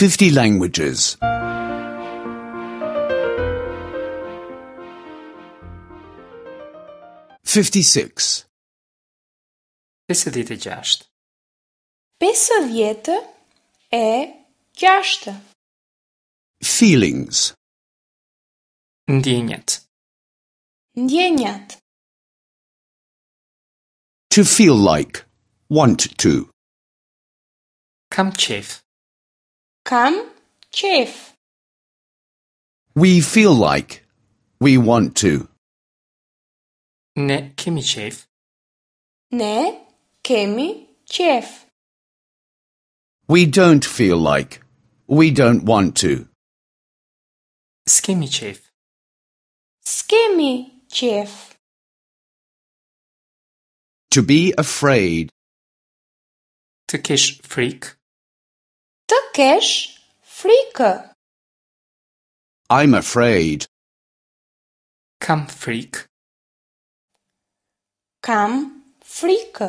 50 languages. 56. 56. 56. Feelings. Ndjenjat. Ndjenjat. To feel like. Want to. Kam qejf. Kam qejf. We feel like. We want to. Ne kemi qejf. Ne kemi qejf. We don't feel like. We don't want to. S'kemi qejf. S'kemi qejf. To be afraid. Të kesh frikë. Të kesh frikë. I'm afraid. Kam frikë. Kam frikë.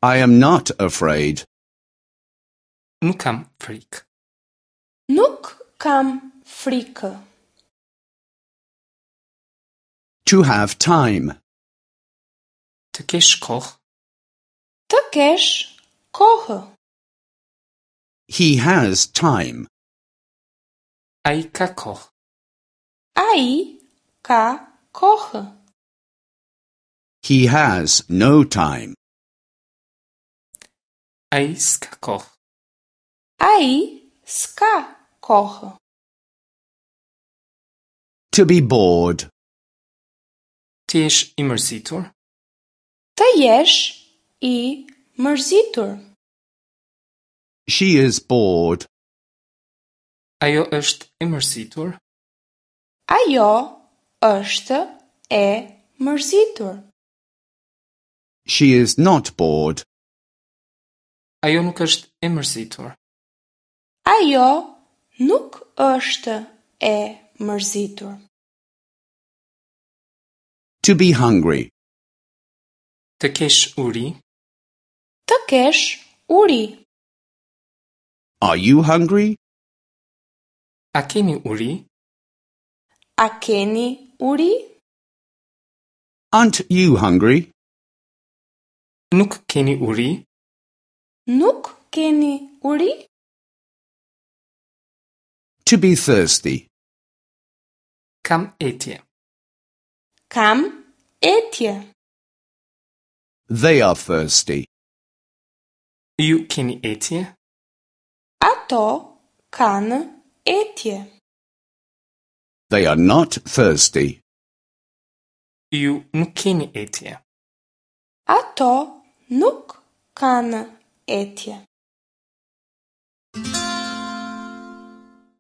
I am not afraid. Nuk kam frikë. Nuk kam frikë. To have time. Të kesh kohë. Të kesh kohë. He has time. Ai ka kohë. Ai ka kohë. He has no time. Ai s'ka kohë. Ai s'ka kohë. To be bored. Të jesh i mërzitur. Të jesh i mërzitur. She is bored. Ajo është e mërzitur. Ajo është e mërzitur. She is not bored. Ajo nuk është e mërzitur. Ajo nuk është e mërzitur. To be hungry. Të kesh uri. Të kesh uri. Are you hungry? A keni uri? A keni uri? Aren't you hungry? Nuk keni uri? Nuk keni uri? To be thirsty. Kam etje. Kam etje. They are thirsty. Ju keni etje? Ato kanë etje. They are not thirsty. Ju nuk keni etje. Ato nuk kanë etje.